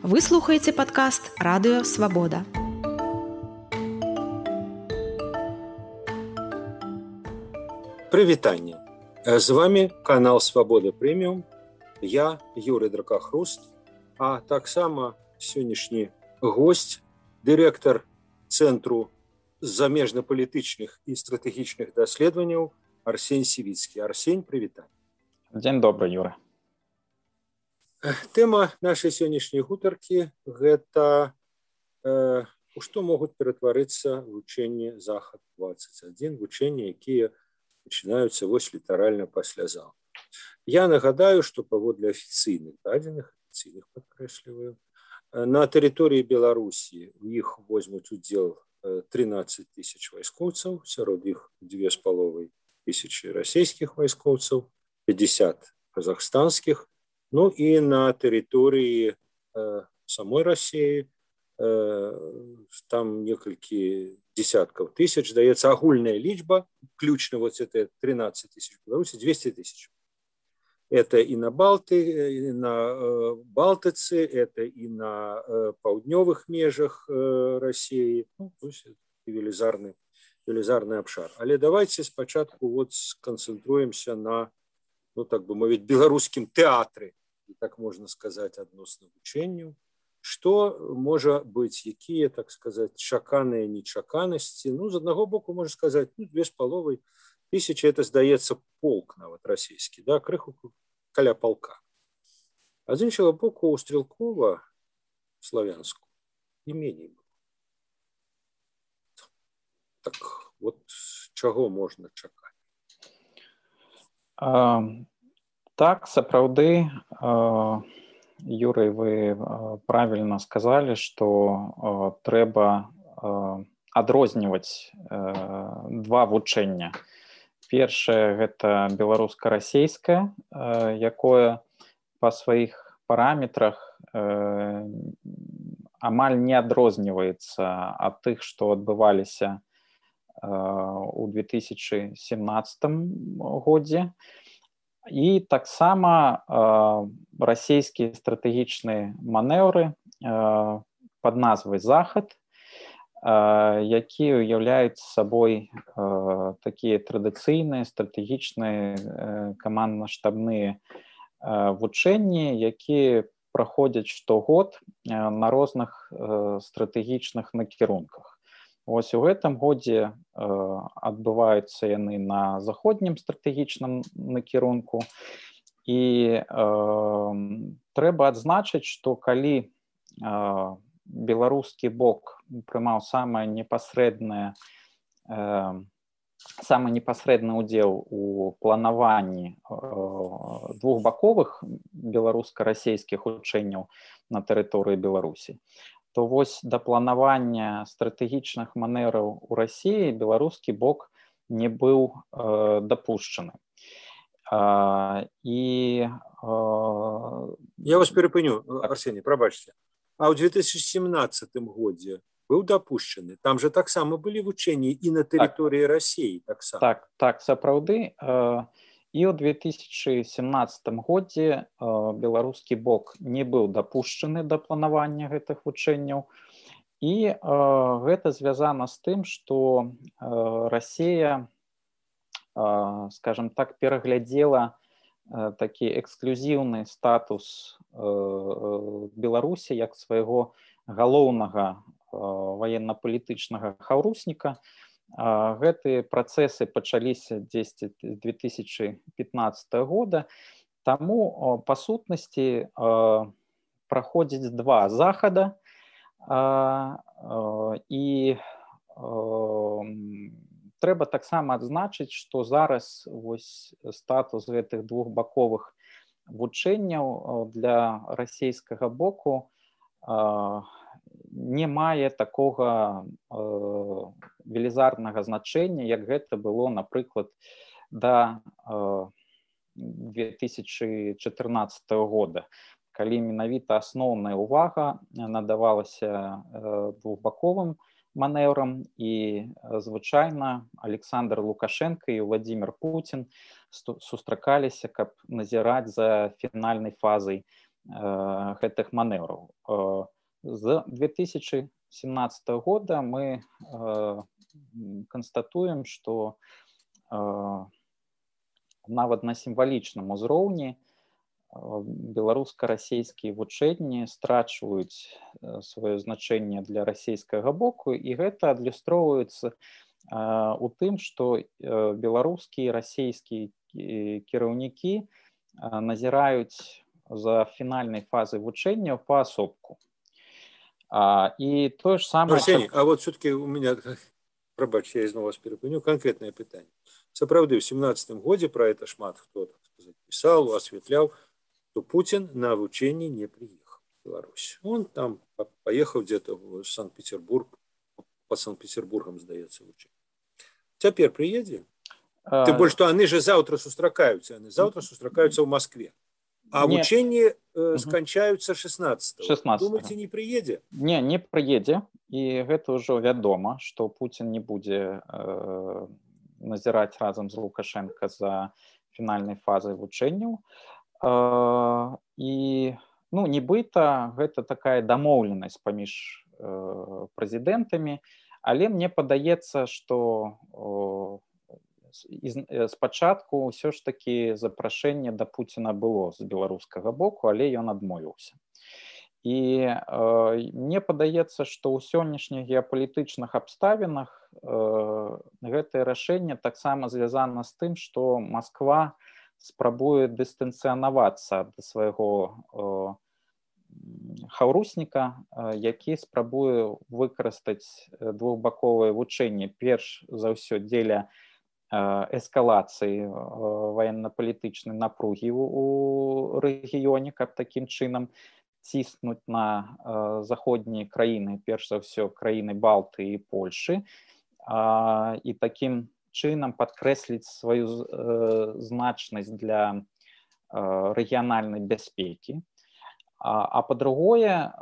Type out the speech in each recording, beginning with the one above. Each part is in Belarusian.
Вы слухаеце падкаст Радыё Свабода. Прывітанне. З вами канал Свабода Прэміум. Я Юрый Дракахруст, а таксама сённяшні госць, дырэктар Цэнтру замежна-палітычных і стратэгічных даследаванняў Арсень Сівіцкі. Арсень, прывітанне. Дзень добры, Юра. Тэма нашай сённяшняй гутаркі – гэта у што могуць ператварыцца вучэнні Захад-21, вучэнні, якія пачынаюцца вось літаральна паслязаўтра. Я нагадаю, што паводле афіцыйных дадзеных, афіцыйных падкрэсліваю, на тэрыторыі Беларусі у іх возьмуць удзел 13 тысяч вайскоўцаў, сярод іх 2,5 тысячы расійскіх вайскоўцаў, 50 казахстанскіх. Ну і на тэрыторыі самой Расіі там некалькі десяткаў тысяч, здаецца, агульная лічба, включна вот это 13 тысяч Беларусі, 200 тысяч. Это и на Балтыцы, это и на паўднёвых межах Расіі, ну, то есть велізарны абшар. Але давайте спачатку вот сканцэнтруемся на, ну так бы мовіць, беларускім тэатры, так можна сказаць, адносна вучэнню. Што можа быць, якія, так сказаць, чаканыя нечаканасці? Ну, з аднаго боку, можна сказаць, ну, 2,5 тысячи, это, здаецца, полк нават расійскі, да, крыху каля полка. А з іншага боку, у Стрелкова, Славянску, не меней было. Так, вот чаго можна чакаць? Так, сапраўды, Юрый, вы правильно сказали, что трэба адрозніваць два вучэння. Першае – гэта беларуска-расейскае, якое па сваіх параметрах амаль не адрозніваецца ад тых, што адбываліся у 2017 годзе. І таксама расійскія стратэгічныя манеўры пад назвай «Захад», якія ўяўляюць сабой такія традыцыйныя стратэгічныя камандна-штабныя вучэнні, якія праходзяць штогод на розных стратэгічных накірунках. Вось у гэтым годзе адбываюцца яны на заходнім стратэгічным накірунку. І трэба адзначыць, што калі беларускі бок прымаў самы непасрэдны ўдзел у планаванні двухбаковых беларуска-расійскіх вучэнняў на тэрыторыі Беларусі, то вось да планавання стратэгічных манеўраў у Расіі беларускі бок не быў дапушчаны. Я вас перапыню, Арсений, прабачце. А ў 2017 годзе быў дапушчаны? Там же таксама былі вучэнні і на тэрыторыі Расіі таксама. Так, сапраўды. І ў 2017 годзе беларускі бок не быў дапушчаны да планавання гэтых вучэнняў. І гэта звязана з тым, што Расія, скажем так, пераглядзела такі эксклюзіўны статус Беларусі як свайго галоўнага ваенна-палітычнага хаўрусніка. Гэтыя працэсы пачаліся дзесь 2015 года, таму па сутнасці праходзіць два захада, і трэба таксама адзначыць, што зараз вось статус гэтых двухбаковых вучэнняў для расійскага боку не мае такога велізарнага значэння, як гэта было, напрыклад, да 2014 года, калі менавіта асноўная ўвага надавалася двухбаковым манеўрам, і звычайна Александр Лукашенко і Владимир Путин сустракаліся, каб назіраць за фінальнай фазай гэтых манеўраў. З 2017 года мы канстатуем, што нават на сімвалічным узроўні беларуска-расейскія вучэнні страчваюць сваё значэнне для расійскага боку, і гэта адлюстроўваецца у тым, што беларускія і расійскія кіраўнікі назіраюць за фінальнай фазай вучэнняў паасобку. І тое ж самае... Арсений, а вот все-таки у меня, пробачь, я ізноў вас перапыню, конкретное пытанне. Сапраўды, в 17 годзе про это шмат хто, так сказать, писал, осветлял, что Путин на вучении не приехал в Беларусь. Он там поехал где-то в Санкт-Петербург, по Санкт-Петербургам, сдается, вучение. Теперь приедет? Тем более, что они же завтра сустракаются, они завтра сустракаются в Москве. А вученні сканчаюцца 16-го. Думаеце, не прыедзе? Не прыедзе. І гэта ўжо вядома, што Пуцін не будзе назіраць разам з Лукашенко за фінальнай фазай вучэнняў. І, нібыта, гэта такая дамоўленасць паміж прэзідэнтамі, але мне падаецца, што спачатку ўсё ж такі запрашэнне да Пуціна было з беларускага боку, але ён адмовіўся. І мне падаецца, што ў сённяшніх геапалітычных абставінах гэтае рашэнне таксама звязана з тым, што Масква спрабуе дыстанцыянавацца ад свайго хаўрусніка, які спрабуе выкарыстаць двухбаковае вучэнне перш за ўсё дзеля эскалацыі военно-палітычнай напругі ў рэгіёне, каб такім чынам ціснуць на заходнія краіны, перш за ўсё краіны Балты і Польшы, і такім чынам падкрэсліць сваю значнасць для рэгіянальнай бяспекі. А па-другое,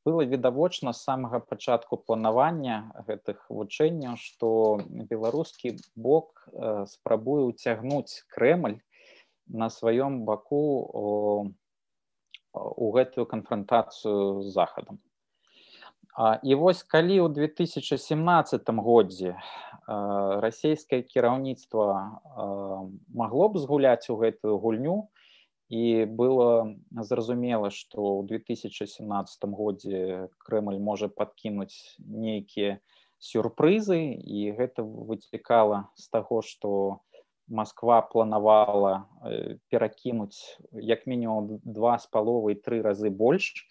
было відавочна з самага пачатку планавання гэтых вучэнняў, што беларускі бок спрабуе ўцягнуць Крэмль на сваём баку у гэтую канфрантацыю з Захадам. І вось калі ў 2017 годзе расійскае кіраўніцтва магло б згуляць у гэтую гульню, і было зразумела, што ў 2017 годзе Крэмль можа падкінуць нейкія сюрпрызы, і гэта выцікала з таго, што Масква планавала перакінуць як мінімум 2,5-3 разы больш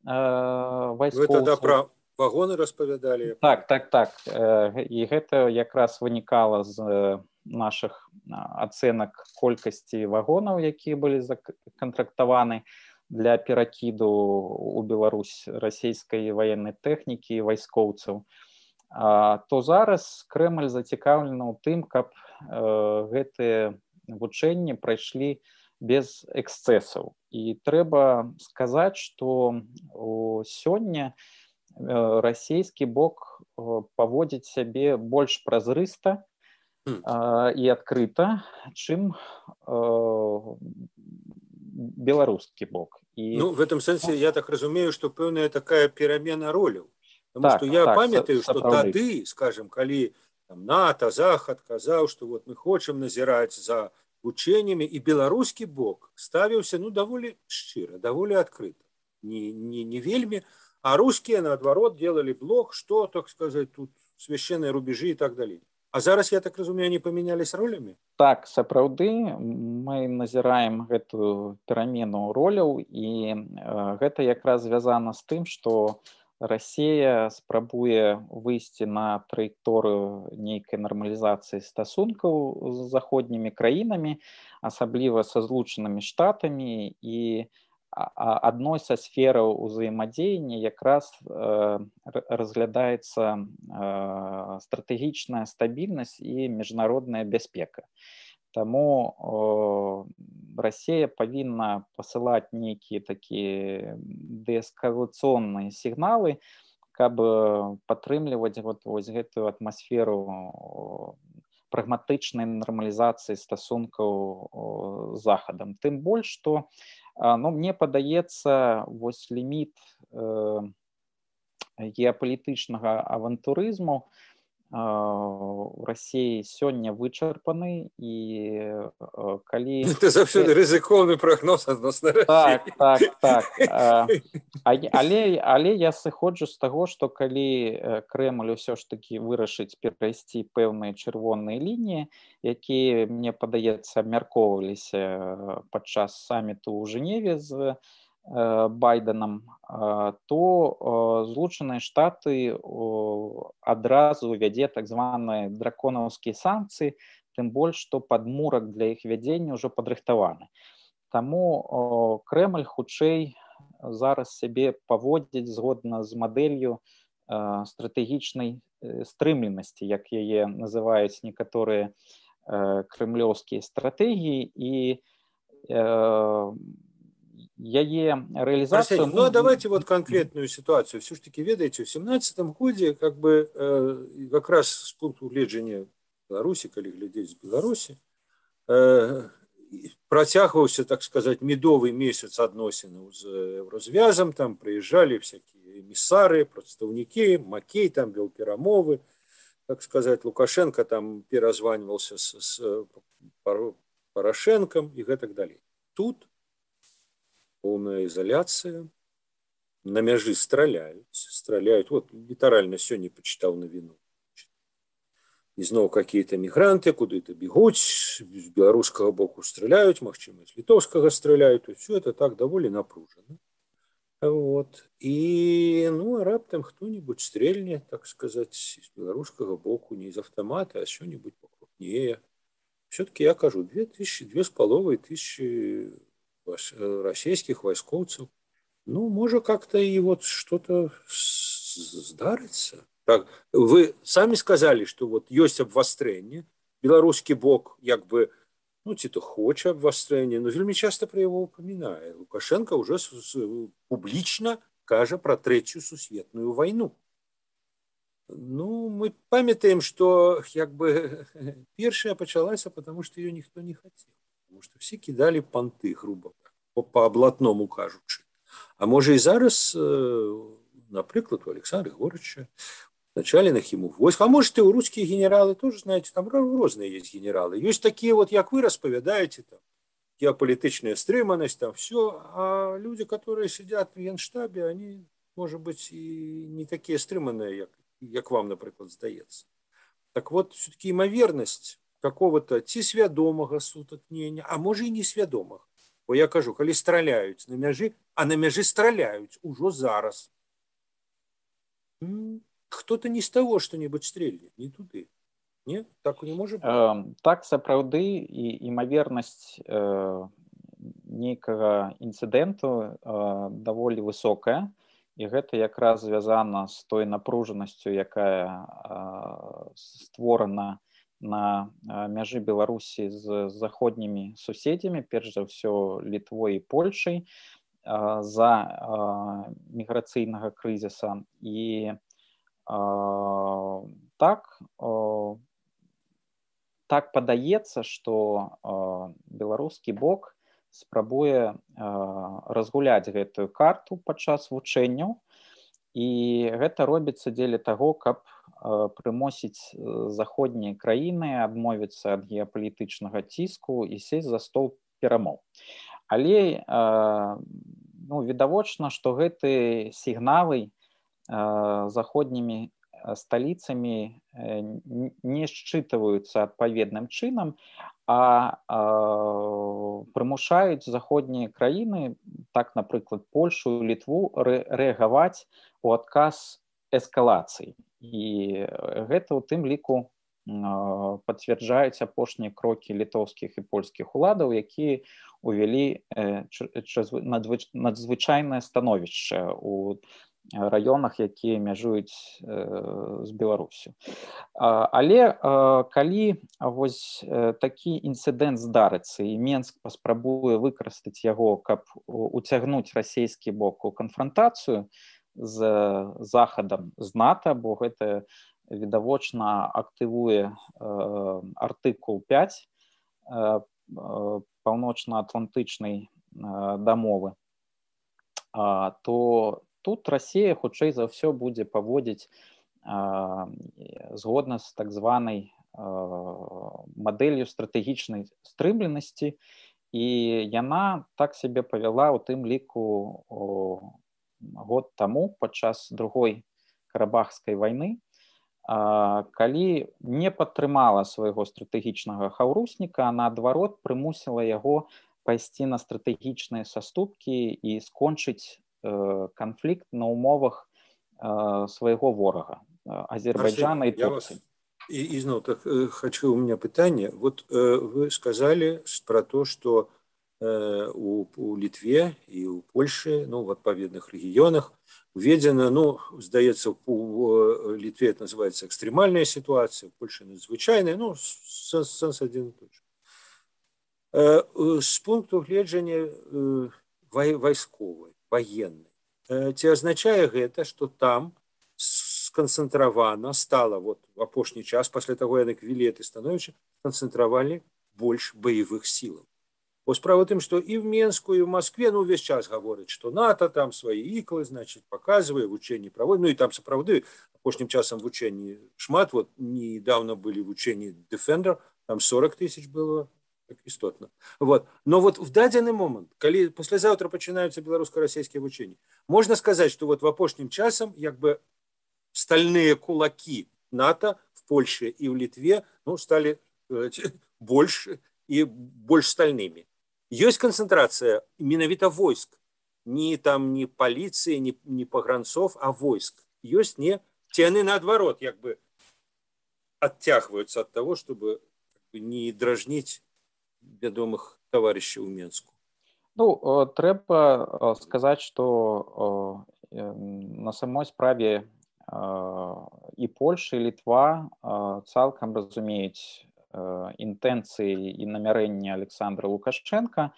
вайскоўцаў. Вы тогда пра вагоны распавядалі? Так. І гэта якраз вынікала з наших ацэнак колькасці вагонаў, якія былі законтрактаваны для перакіду ў Беларусь расійскай ваеннай тэхнікі і вайскоўцаў, то зараз Крэмль зацікаўлены ў тым, каб гэтыя вучэнні прайшлі без эксцэсаў. І трэба сказаць, што сёння расійскі бок паводзіць сябе больш празрыста і адкрыта, чым беларускі бок. В этом сэнсе я так разумею, што пэўная такая перамена роляў. Потому что я памятаю, што тады, скажем, калі НАТО, Захад казаў, што вот мы хочам назіраць за вучэннямі, і беларускі бок ставіўся даволі шчыра, даволі адкрыта. Не вельмі, а рускія, наадварот, делали блок, што, так сказать, тут священныя рубежы і так далей. А зараз, я так разумею, они памянялись ролямі? Так, сапраўды, мы назіраем гэтую перамену роляў, і гэта якраз звязана з тым, што Расія спрабуе выйсці на траекторыю нейкай нармалізацыі стасункаў з заходнімі краінамі, асабліва са Злучанымі Штатамі, і адной са сфераў узаемадзеяння якраз разглядаецца стратэгічная стабільнасць і міжнародная бяспека. Таму Расія павінна пасылаць нейкія такія дээскалацыйныя сігналы, каб падтрымліваць вось гэтую атмасферу прагматычнай нармалізацыі стасункаў з захадам. Тым больш, што мне падаецца, вось ліміт геапалітычнага авантурызму у Расіі сёння вычарпаны, і калі... Это заўсёды рызыкоўны прагноз адносна Расіі. Так. Але я сыходжу з таго, што калі Крэмль усё ж такі вырашыць перайсці пэўныя чырвоныя лініі, якія, мне падаецца, абмяркоўваліся падчас саміту ў Жэневе з Байденам, то Злучаныя Штаты адразу вядзе так званыя драконаўскія санкцыі, тым больш, што падмурак для іх вядзення ўжо падрыхтаваны. Таму Крэмль хутчэй зараз сябе паводзіць згодна з мадэллю стратэгічнай стрымленасці, як яе называюць некаторыя крэмлёўскія стратэгіі, і яе реализацию... Ну, а давайте вот конкретную ситуацию. Все-таки, ведаете, в 17-м году, как раз с пункту гледжання Беларусі, калі глядзець з Беларусі, працягваўся, так сказать, медовый месяц адносінаў з Еўразвязам, там прыязджалі всякие эмісары, прадстаўнікі, Макей там вел перамовы, так сказать, Лукашенко там перазваньваўся с Порошенком и так далее. Тут полная изоляция, на мяжы стреляют. Вот лiterально сегодня почитал новину. И снова какие-то мигранты куда-то бегут, с белорусского боку стреляют, магчыма, с литовского стреляют. И все это так довольно напружено. Вот. И, раптом кто-нибудь стрельнет, так сказать, с белорусского боку, не из автомата, а что-нибудь покрупнее. Все-таки я кажу, 2500 российских войскоўцаў. Может как-то и вот что-то здарыцца. Так, вы сами сказали, что вот есть обвастрэнне. Белорусский бок ці то хоча обвастрэнне, но вельмі часто про его упоминае. Лукашенко уже публично кажа про Третью сусветную войну. Мы памятаем, что первая пачалася, потому что ее никто не хотел. Потому что все кидали понты, грубо по облатному кажучи. А может и зараз, например, у Александра Егоровича, начальных ему войск, а может и у русские генералы тоже, знаете, там разные есть генералы. Есть такие вот, как вы расповедаете, там, геополитичная стриманность, там все, а люди, которые сидят в Генштабе, они, может быть, и не такие стриманные, как вам, например, здаецца. Так вот, все-таки имоверность какого-то ці свядомага сутыкнення, а може і несвядомага. Бо я кажу, калі страляюць на мяжы, а на мяжы страляюць ужо зараз. Кто-то не з таго што-небудзь стрельне, не туды. Не? Так не можа быць? Так, сапраўды, і імавернасць нейкага інцыдэнту даволі высокая, і гэта якраз звязана з той напружанасцю, якая створана на мяжы Беларусі з заходнімі суседзямі, перш за ўсё Літвой і Польшай, за міграцыйнага крызіса. І так падаецца, што беларускі бок спрабуе разгуляць гэтую карту падчас вучэнняў, і гэта робіцца дзеля таго, каб прымусіць заходнія краіны адмовіцца ад геапалітычнага ціску і сесть за стол перамоў. Але відавочна, што гэтыя сігналы заходнімі сталіцамі не счытываюцца адпаведным чынам, а прымушаюць заходнія краіны, так, напрыклад, Польшу, Літву, рэагаваць у адказ эскалацыі. І гэта ў тым ліку пацвярджаюць апошнія крокі літоўскіх і польскіх уладаў, якія увялі надзвычайнае становішча ў раёнах, якія мяжуюць з Беларусю. Але калі вось такі інцыдэнт здарыцца і Менск паспрабуе выкарыстаць яго, каб уцягнуць расійскі бок у канфрантацыю з Захадам, з НАТО, бо гэта відавочна актывуе артыкул 5 паўночна-атлантычнай дамовы, то тут Расія хутчэй за ўсё будзе паводзіць згодна з так званай мадэллю стратэгічнай стрымленасці, і яна так сябе павяла ў тым ліку год таму падчас другой карабахскай вайны, калі не падтрымала свайго стратэгічнага хаўрусніка, а наадварот прымусіла яго пайсці на стратэгічныя саступкі і скончыць канфлікт на умовах свайго ворага Азербайджана і Турцыі. И снова так хочу, у меня питание. Вот вы сказали про то, что у Литве и у Польши, ну, в отповедных регионах введено, ну, сдается, у Литве это называется экстремальная ситуация, в Польше надзвычайная, ну, сенс один и тот же. С пункту гледжання войсковой, военной, ці означае гэта, что там сконцэнтравана стала вот в апошні час, пасля таго, як ввели это становішча, сконцэнтравалі больш баявых сілаў. Бо справа тым, што і в Менску, і в Москве, ну, увесь час гавораць, што НАТО там свае іклы, значит, показывае, вучэнні праводзіць, ну, і там сапраўды апошнім часам вучэнні шмат, вот недавно былі вучэнні Defender, там 40 тысяч было, так істотна. Вот. Но вот в дадзены момент, калі паслязаўтра пачынаюцца беларуска-расійскія вучэнні, можна сказаць, што вот в апошнім часам, як бы, стальные кулаки НАТО в Польше и в Литве, ну, стали больше и больше стальными. Есть концентрация менавіта войск, не полиции, не погранцов, а войск. Есть не, те они наоборот, как бы оттягиваются от того, чтобы не дражнить вядомых товарищей у Менску. Ну, трэба сказаць, што на самой справе і Польша, і Літва цалкам разумеюць інтэнцыі і намярэнні Александра Лукашчэнка,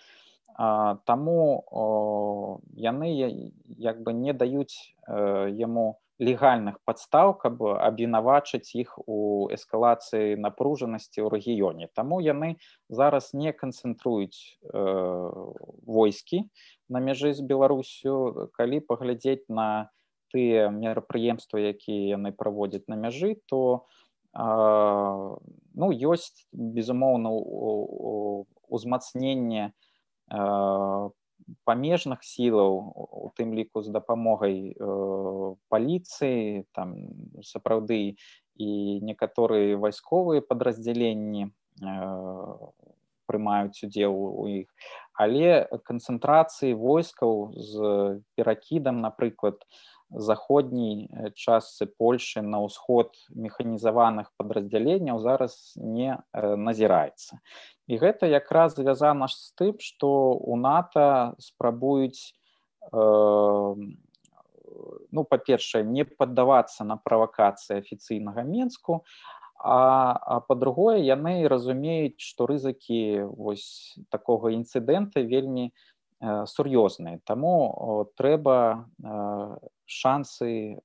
таму яны як бы не даюць яму легальных падстаў, каб абвінавачыць іх у эскалацыі напружанасці ў рэгіёне. Таму яны зараз не канцэнтруюць войскі на мяжы з Беларусю. Калі паглядзець на тыя мерапрыемствы, якія яны праводзяць на мяжы, то ну, ёсць, безумоўна, узмацненне памежных сілаў, у тым ліку з дапамогай паліцыі, там сапраўды і некаторыя вайсковыя падраздзяленні прымаюць удзел у іх, але канцэнтрацыі войскаў з перакідам, напрыклад, заходняй частцы Польшы на ўсход механізаваных падраздзяленняў зараз не назіраецца. І гэта якраз звязана з тым, што у НАТО спрабуюць, ну, па-першае, не паддавацца на правакацыі афіцыйнага Менску, а па-другое, яны разумеюць, што рызыкі вось такога інцыдэнта вельмі сур'ёзныя. Таму трэба шансы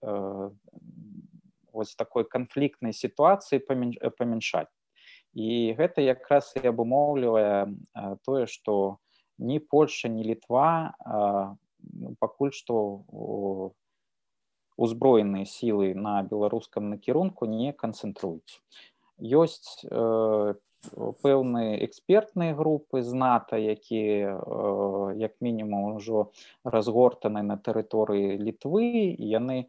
вось такой канфліктнай сітуацыі памяншаць. І гэта якраз і абумоўлівае тое, што ні Польша, ні Літва пакуль што узброеныя сілы на беларускам накірунку не канцэнтруюць. Ёсць пэўныя экспертныя групы з НАТО, якія як мінімум ужо разгортаны на тэрыторыі Літвы, і яны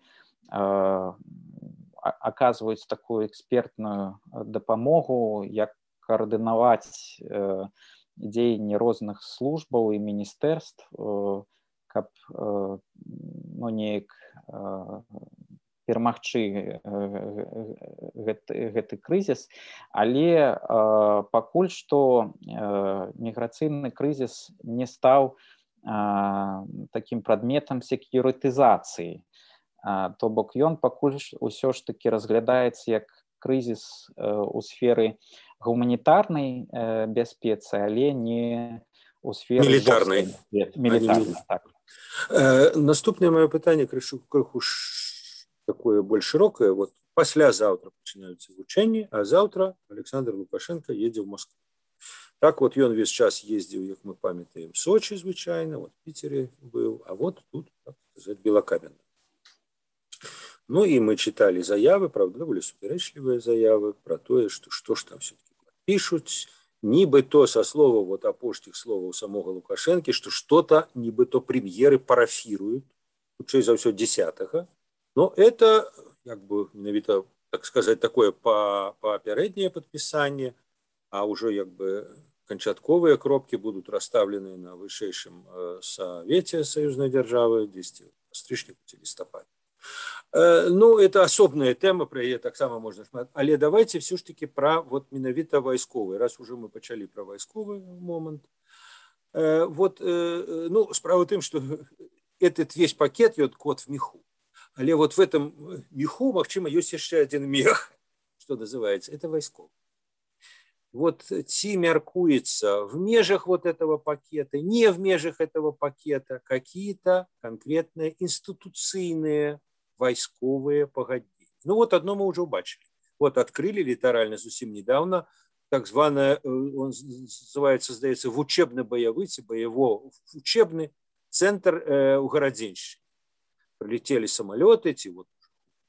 аказваюць такую экспертную дапамогу, як каардынаваць дзеянні розных службаў і міністэрств, каб ну, неяк перамагчы гэты крызіс, але пакуль што міграцыйны крызіс не стаў такім прадметам сек'юрытызацыі. То бок ён пакуль усё ж такі разглядаецца як крызіс у сферы гуманітарнай бяспецы, але не у сферы мілітарнай. Так. Наступнае маё пытанне крыху такое больш шырокае. Вот Паслязаўтра пачынаюцца вучэнні, а заўтра Александр Лукашенко едзе ў Москву. Так вот ён весь час ездзіў, як мы памятаем, Сочи звычайна, вот в Питере был, а вот тут, так сказать, Белокаменна. Ну и мы читали заявы, правда, довольно суперечливые заявы про то, что ж там все-таки пишут, нібито со слова, вот апошніх словаў самого Лукашенко, что что-то нібито премьеры парафируют, хутчэй за ўсё 10-го, но это, как бы, менавіта, так сказать, такое папярэдняе подписание, а уже, как бы, канчатковыя кропки будут расставлены на вышэйшым Совете союзной державы, 10 стрычніку ці лістападзе. Ну, это асобная тэма, про яе таксама можна шмат. Але давайте все ж таки про вот менавіта вайсковы, раз уже мы пачалі про вайсковы момент. Вот, ну, справа в тым, что этот весь пакет, вот кот в меху. Але вот в этом меху, магчыма, ёсць яшчэ один мех, что называется, это вайсковы. Вот ці мяркуецца в межах вот этого пакета, не в межах этого пакета, какие-то конкретные институцыйныя вайсковые погоднения. Ну вот одно мы уже убачили. Вот открыли литерально совсем недавно так званое, он называется, здаецца, вучебно-боевый, боево-учебный центр у Городенщине. Прилетели самолеты, эти вот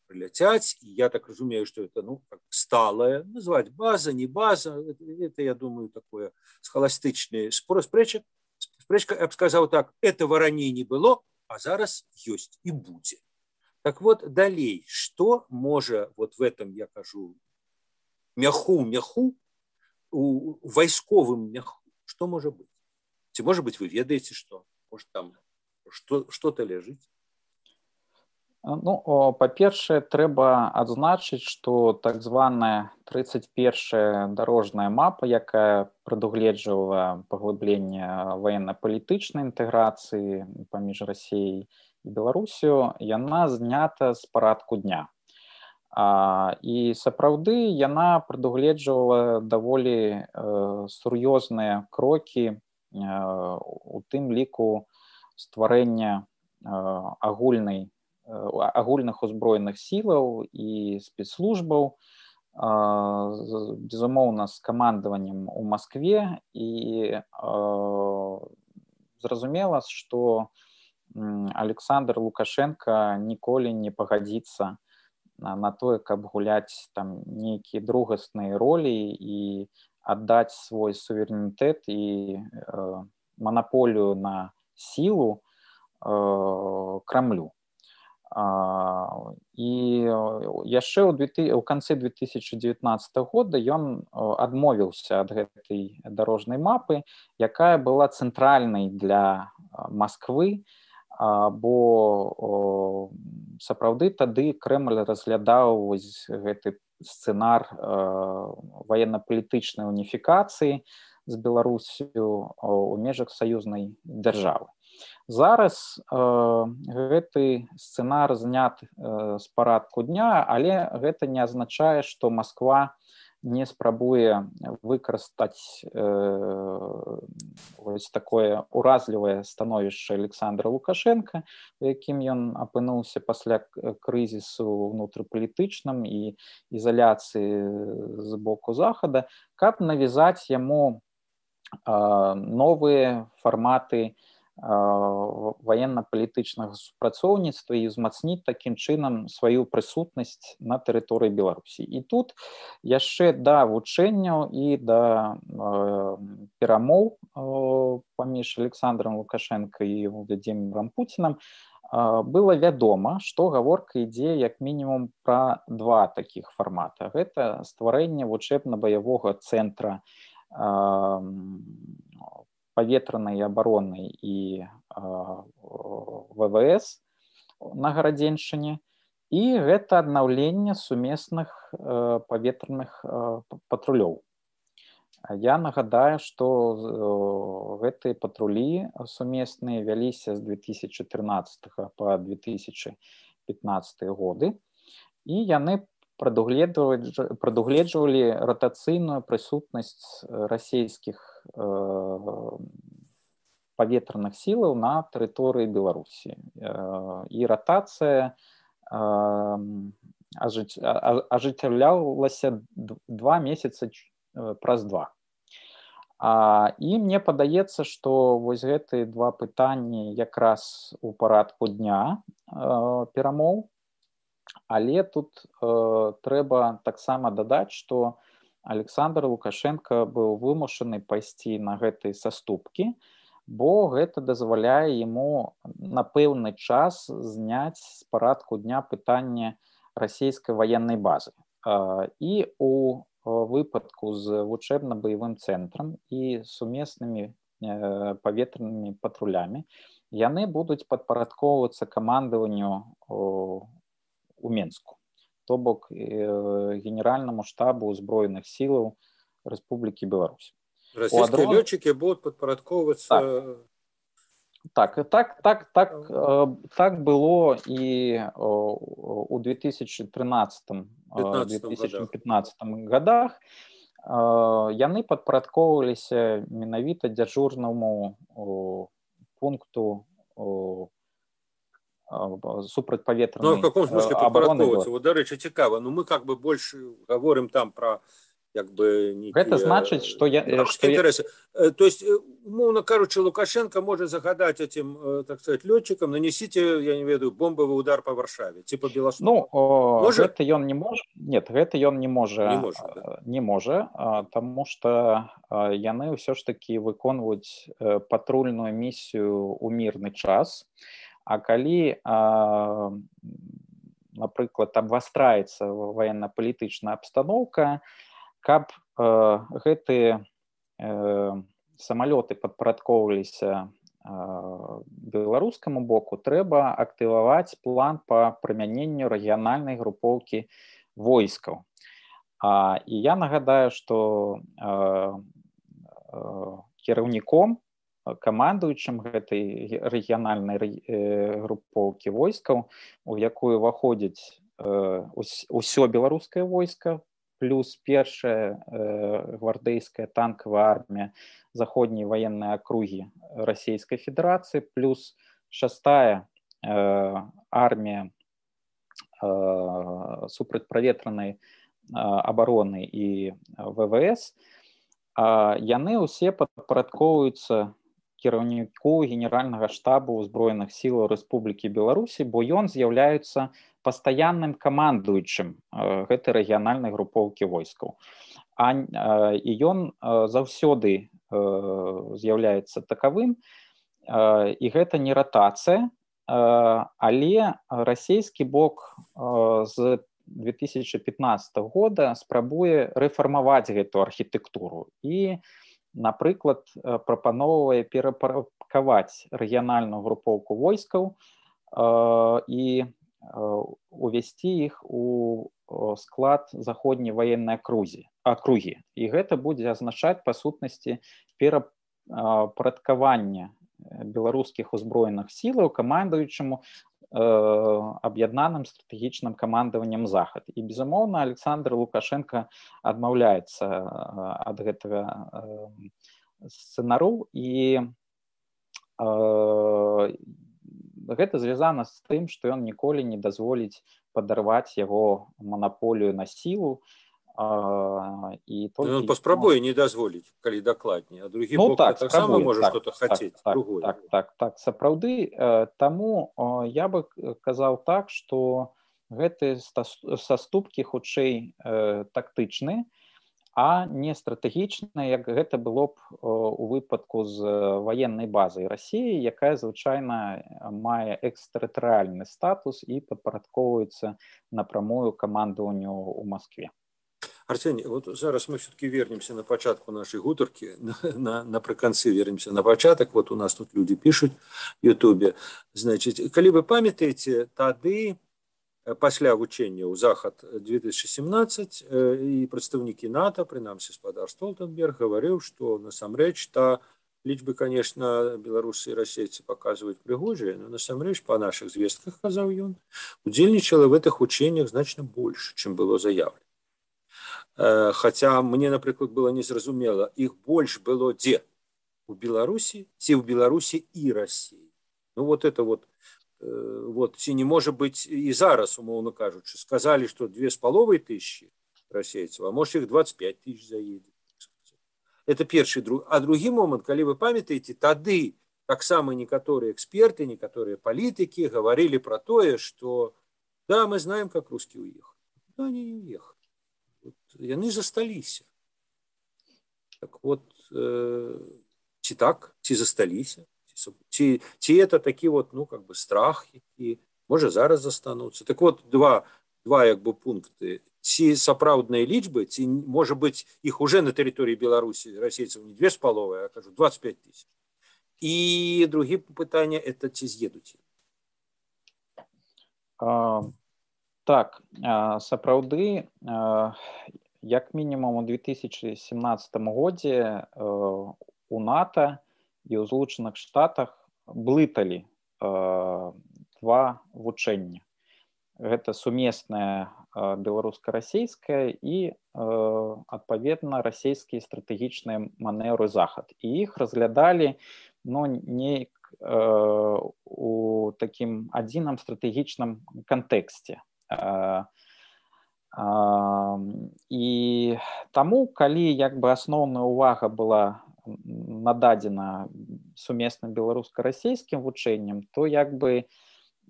прилетять, и я так разумею, что это, ну, как сталое, называть база, не база, это я думаю, такое схоластичное спрэчка, я бы сказал так, этого ранее не было, а зараз есть и будет. Так вот, далей, что может вот в этом, я кажу, мяху, у вайсковым мяху, что может быть? Может быть, вы ведаете, что? Может, там что-то лежит? Ну, па-першае, трэба адзначыць, што так званая 31-я дарожная мапа, якая прадугледжвала паглыбленне военно-палітычнай інтэграцыі паміж Расіяй і Беларусію, яна знята з парадку дня. І сапраўды яна прадугледжвала даволі сур'ёзныя крокі, у тым ліку стварэння агульных узброеных сілаў і спецслужбаў, безумоўна, з камандаваннем у Маскве, і зразумела, што Александр Лукашенко ніколі не пагадзіцца на тое, каб гуляць там нейкія другасныя ролі і аддаць свой суверэнітэт і манаполію на сілу Крамлю. І яшчэ ў канцы 2019 года ён адмовіўся ад гэтай дарожнай мапы, якая была цэнтральнай для Масквы, бо сапраўды тады Крэмль разглядаў вось гэты сцэнар военно-палітычнай уніфікацыі з Беларусю у межах саюзнай дзяржавы. Зараз гэты сцэнар знят з парадку дня, але гэта не азначае, што Масква не спрабуе выкарыстаць вось такое уразлівае становішча Александра Лукашенка, у якім ён апынуўся пасля крызісу ўнутрыпалітычным і ізаляцыі з боку Захада, каб навязаць яму новыя фарматы военно-палітычнага супрацоўніцтва і ўзмацніць такім чынам сваю прысутнасць на тэрыторыі Беларусі. І тут яшчэ да вучэнняў і да перамоў паміж Александром Лукашенко і Владимиром Путиным было вядома, што гаворка ідзе як мінімум пра два такіх фармата. Гэта стварэнне вучэбна-баявога цэнтра паветранай абароны і ВВС на Гарадзеншчыне, і гэта аднаўленне сумесных паветраных патрулёў. Я нагадаю, што гэтыя патрулі сумесныя вяліся з 2014 па 2015 годы, і яны прадугледжвалі ратацыйную прысутнасць расійскіх паветраных сілаў на тэрыторыі Беларусі. І ратацыя ажыццяўлялася 2 месяцы праз 2. І мне падаецца, што вось гэтыя два пытанні якраз у парадку дня перамоў, але тут трэба таксама дадаць, што Александр Лукашенко быў вымушаны пайсці на гэтыя саступкі, бо гэта дазваляе яму на пэўны час зняць з парадку дня пытанне расійскай ваеннай базы. І у выпадку з вучэбна-баявым цэнтрам і сумеснымі паветранымі патрулямі яны будуць падпарадкоўвацца камандаванню у Менску, то бок генеральнаму штабу ўзброеных сілаў Рэспублікі Беларусь. Расійскія лётчыкі будуць падпарадкоўвацца. Так было і у 2013-2015 годах. Яны падпарадкоўваліся менавіта дзяжурнаму пункту супрацьпаветранай в каком смысле падпарадкоўвацца? Вот, дарэчы, цікава. Мы как бы больше говорим там про гэта значыць, што интересы. То есть, умоўно кажучи, Лукашенко может загадать этим, так сказать, летчикам: нанесите, я не ведаю, бомбовый удар по Варшаве, типа Беластоку. Гэта ён не можа. Нет, гэта ён не можа, таму што яны ўсё ж такі выконваюць патрульную місію ў мірны час. А калі, напрыклад, абвастраецца военно-палітычная абстаноўка, каб гэтыя самалёты падпарадкоўваліся беларускаму боку, трэба актываваць план па прымяненню рэгіянальнай групоўкі войскаў. І я нагадаю, што кіраўніком, камандуючым гэтай рэгіянальнай групоўкі войскаў, у якую ўваходзіць усё беларускае войска, плюс першая гвардейская танковая армія заходняй военной округи Российской Федерации, плюс 6-я армія супрацьпаветранай обороны і ВВС, яны ўсе падпарадкоўваюцца кіраўніку генеральнага штабу ўзброеных сілаў Рэспублікі Беларусі, бо ён з'яўляецца пастаянным камандуючым гэтай рэгіянальнай групоўкі войскаў. І ён заўсёды з'яўляецца такавым, і гэта не ратацыя, але расійскі бок з 2015 года спрабуе рэфармаваць гэту архітэктуру і, напрыклад, прапаноўвае перапарадкаваць рэгіянальную групоўку войскаў і увесці іх у склад заходняй военной акругі. І гэта будзе азначаць, па сутнасці, перапарадкаванне беларускіх узброеных сілаў камандуючаму аб'яднаным стратэгічным камандаваннем Захад. І, безумоўна, Александр Лукашенко адмаўляецца ад гэтага сцэнару, і гэта звязана з тым, што ён ніколі не дазволіць падарваць яго манаполію на сілу. І ён паспрабуе не дазволіць, калі дакладней, а другі бок таксама можа што-то хацець. Так, сапраўды. Таму я бы казаў так, што гэтыя саступкі хутчэй тактычныя, а не стратэгічныя, як гэта было б у выпадку з ваеннай базай Расіі, якая звычайна мае экстэрытарыяльны статус і падпарадкоўваецца напрамую камандаванню ў Маскве. Арсений, вот зараз мы все-таки вернемся на початку нашей гутарки, напрыканцы вернемся на початок. Вот у нас тут люди пишут в Ютубе. Значит, калі вы памятаеце, тады пасля вучэння ў Захад 2017 і прадстаўнікі НАТО, прынамсі спадар Столтенберг, гаварыў, што насамрэч лічбы, конечно, беларусы і расейцы паказваюць прыгожыя, но насамрэч па нашых звестках, казаў ён, удзельнічала в этих учениях значна больш, чым было заявлена. Хотя мне, напрыклад, было незразумела, іх больш было дзе? У Беларусі ці ў Беларусі і Расіі? Ну вот это вот Вот, ці не можа быць і зараз, умоўна кажучы, сказалі, што 2500 расейцаў, а можа іх 25 тысяч заедзе. Это першы, а другі момант, калі вы памятаеце, тады таксама некаторыя эксперты, некаторыя палітыкі гаварылі пра тое, што да, мы знаем, как русские уехали. Да, они не уехали. Вот, яны засталіся. Так вот, ці так, ці засталіся, ці это такі вот, ну, как бы страх, які, можа, зараз застануцца. Так вот, два як бы пункты. Ці сапраўдныя лічбы, ці, можа быць, іх уже на тэрыторыі Беларусі расейцаў не 2,5, а, кажу, 25 тысяч. І другі пытанне, это ці з'едуць? Так, сапраўды, як мінімум у 2017 годзе у НАТО і ў Злучаных Штатах блыталі два вучэння. Гэта сумеснае беларуска-расейскае і, адпаведна, расійскія стратэгічныя манеўры захад. І іх разглядалі, ну, неяк у такім адзіным стратэгічным кантэксце. І таму, калі як бы асноўная ўвага была нададзена сумесным беларуска-расейскім вучэнням, то як бы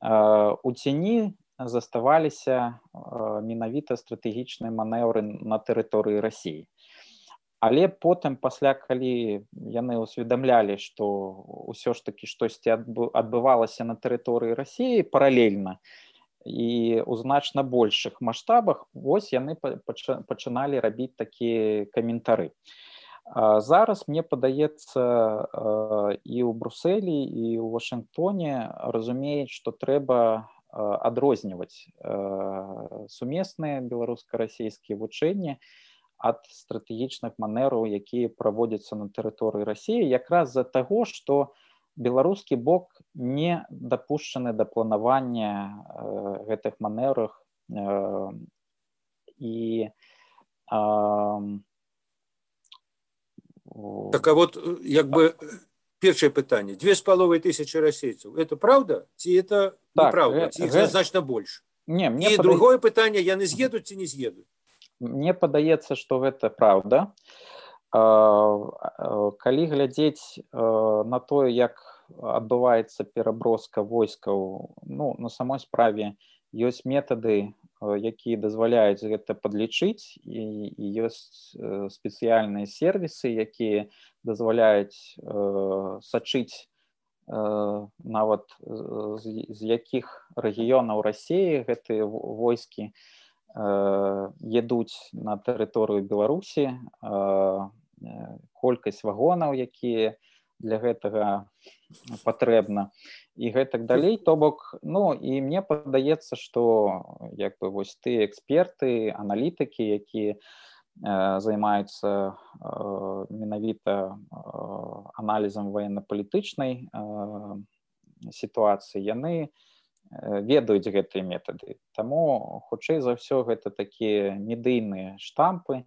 у цені заставаліся менавіта стратэгічныя манеўры на тэрыторыі Расіі. Але потым, пасля, калі яны ўсведамлялі, што ўсё ж такі штосьці адбывалася на тэрыторыі Расіі паралельна і ў значна большых маштабах, вось яны пачыналі рабіць такія каментары. Зараз, мне падаецца, і ў Брусэлі, і ў Вашынгтоне разумеюць, што трэба адрозніваць сумесныя беларуска-расійскія вучэнні ад стратэгічных манеўраў, якія праводзяцца на тэрыторыі Расіі, якраз з-за таго, што беларускі бок не дапушчаны да планавання гэтых манеўрах і так, а вот як бы першае пытанне. 2500 расейцаў. Это правда? Ці это неправда? Ці іх значна больш? І другое пытанне, яны з'едуць ці не з'едуць? Мне падаецца, што гэта правда. Калі глядзець на тое, як адбываецца пераброска войскаў, ну, на самой справе ёсць метады, якія дазваляюць гэта падлічыць, і ёсць спецыяльныя сервісы, якія дазваляюць сачыць нават з якіх рэгіёнаў Расіі гэтыя войскі едуць на тэрыторыю Беларусі, колькасць вагонаў, якія для гэтага патрэбна, і гэтак далей. То бок, ну, і мне падаецца, што як бы вось тыя эксперты, аналітыкі, якія займаюцца менавіта аналізам военно-палітычнай сітуацыі, яны ведаюць гэтыя метады. Таму, хутчэй за ўсё, гэта такія медыйныя штампы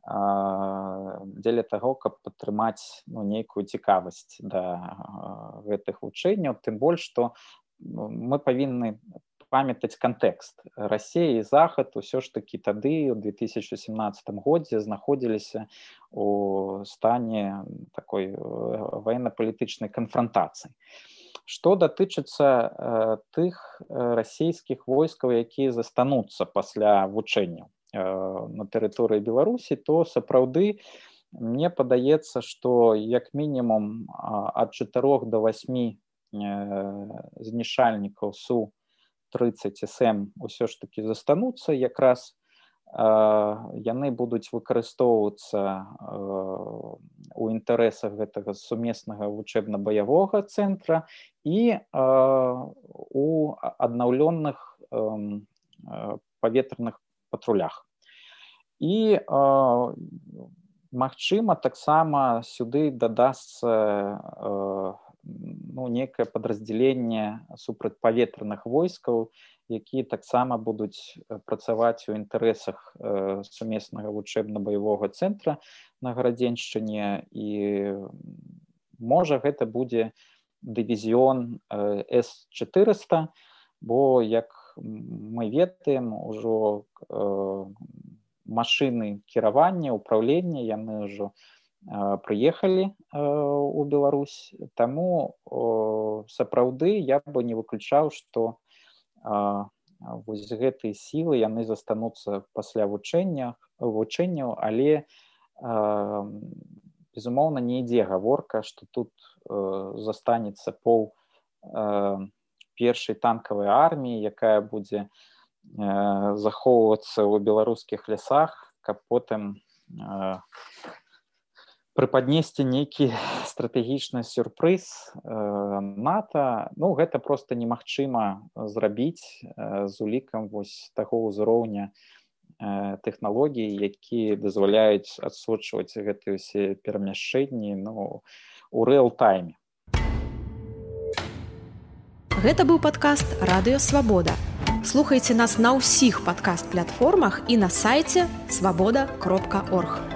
дзеля таго, каб падтрымаць, ну, нейкую цікавасць да гэтых вучэнняў. Тым больш, што мы павінны памятаць кантэкст. Расія і Захад усё ж такі тады, у 2017 годзе, знаходзіліся у стане такой военно-палітычнай канфрантацыі. Што датычыцца тых расійскіх войскаў, якія застануцца пасля вучэнняў на тэрыторыі Беларусі, то сапраўды мне падаецца, што як мінімум ад 4 до 8 знішальнікаў Су-30СМ ўсё ж такі застануцца. Якраз яны будуць выкарыстоўвацца у інтарэсах гэтага сумеснага вучэбна-баявога цэнтра і у аднаўлённых паветраных патрулях. І, магчыма, таксама сюды дадасца некае падраздзяленне супрацьпаветраных войскаў, якія таксама будуць працаваць у інтарэсах сумеснага вучэбна-баявога цэнтра на Гарадзеншчыне, і можа гэта будзе дывізіён С-400, бо, як мы ведаем, ужо машыны кіравання, управлення, яны ўжо прыехалі ў Беларусь. Таму сапраўды я бы не выключаў, што вось гэтыя сілы яны застануцца пасля вучэнняў, але безумоўна не ідзе гаворка, што тут застанецца пол першай танкавай арміі, якая будзе захоўвацца ў беларускіх лясах, каб потым прыпаднесці нейкі стратэгічны сюрпрыз НАТО. Ну, гэта проста немагчыма зрабіць з улікам вось таго ўзроўня тэхналогій, якія дазваляюць адсочваць гэтыя ўсе перамяшчэнні у рээл-тайме. Гэта быў падкаст «Радыё Свабода». Слухайце нас на ўсіх падкаст-платформах і на сайце свабода.орг.